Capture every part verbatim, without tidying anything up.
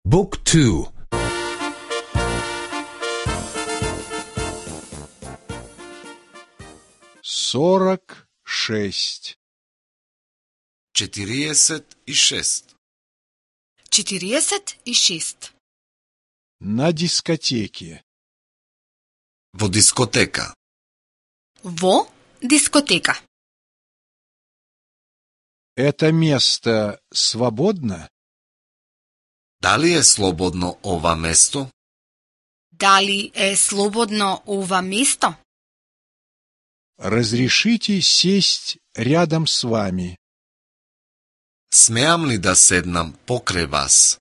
Book two. Сорок шесть. четириесет и шест. четириесет и шест. На дискотеке. Во дискотека. Во дискотека. Это место свободно? Дали е слободно ова место? Дали е слободно ова место? Разрешите сесть рядом с вами? Смеам ли да седнам покрај вас?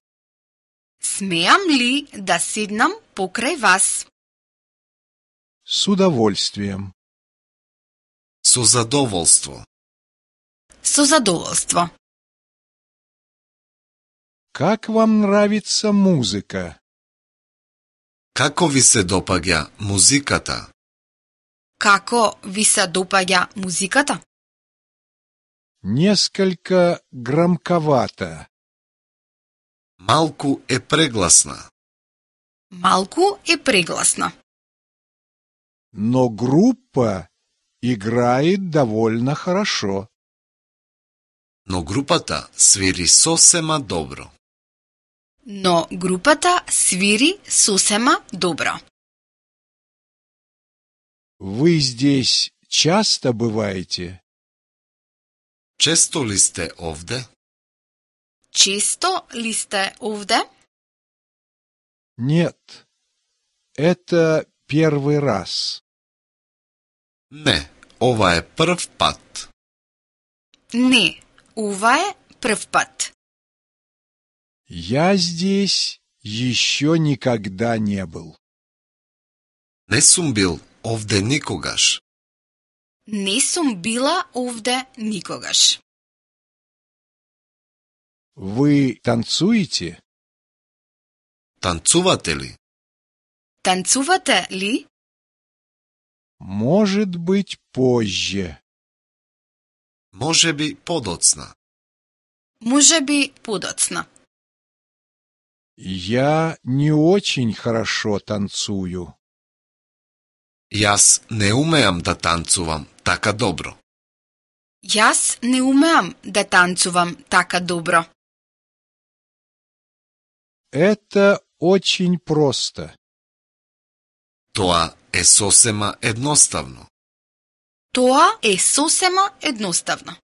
Смеам ли да седнам покрај вас? С удовольствием. Со задоволство. Со задоволство. Как вам нравится музыка? Како ви се допаѓа музиката? Како ви се допаѓа музиката? Несколько громковато. Малку е прегласна. Малку е прегласна. Но группа играет довольно хорошо. Но групата свири сосема добро. Но групата свири сосема добро. Вы здесь часто бываете? Често ли сте овде? Често ли сте овде? Нет. Это первый раз. Не, ова е прв пат. Не, ова е прв пат. Я здесь еще никогда не был. Не сум бил овде никогаш. Не сум била овде никогаш. Вы танцуете? Танцувате ли? Танцувате ли? Может быть, позже. Може би подоцна. Може би подоцна. Я не очень хорошо танцую. Јас не умеам да танцувам така добро. Јас не умеам да танцувам така добро. Это очень просто. Тоа е сосема едноставно. Тоа е сосема едноставно.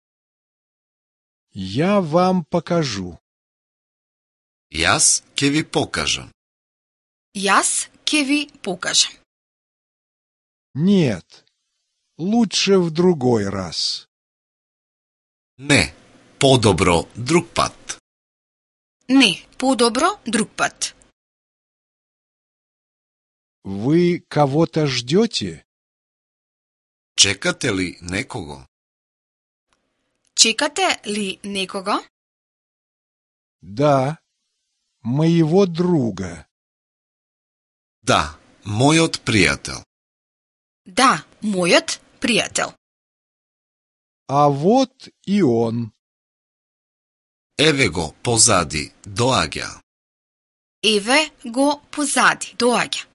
Я вам покажу. Јас ќе ви покажам. Јас ќе ви покажам. Нет, лучше в другой раз. Не, подобро друг пат. Не, подобро друг пат. Вы кого-то ждете? Чекате ли некого? Чекате ли некого? Да, моего друга. Да, мојот пријател. Да, мојот пријател. А вот и он. Еве го позади, доаѓа. Еве го позади, доаѓа.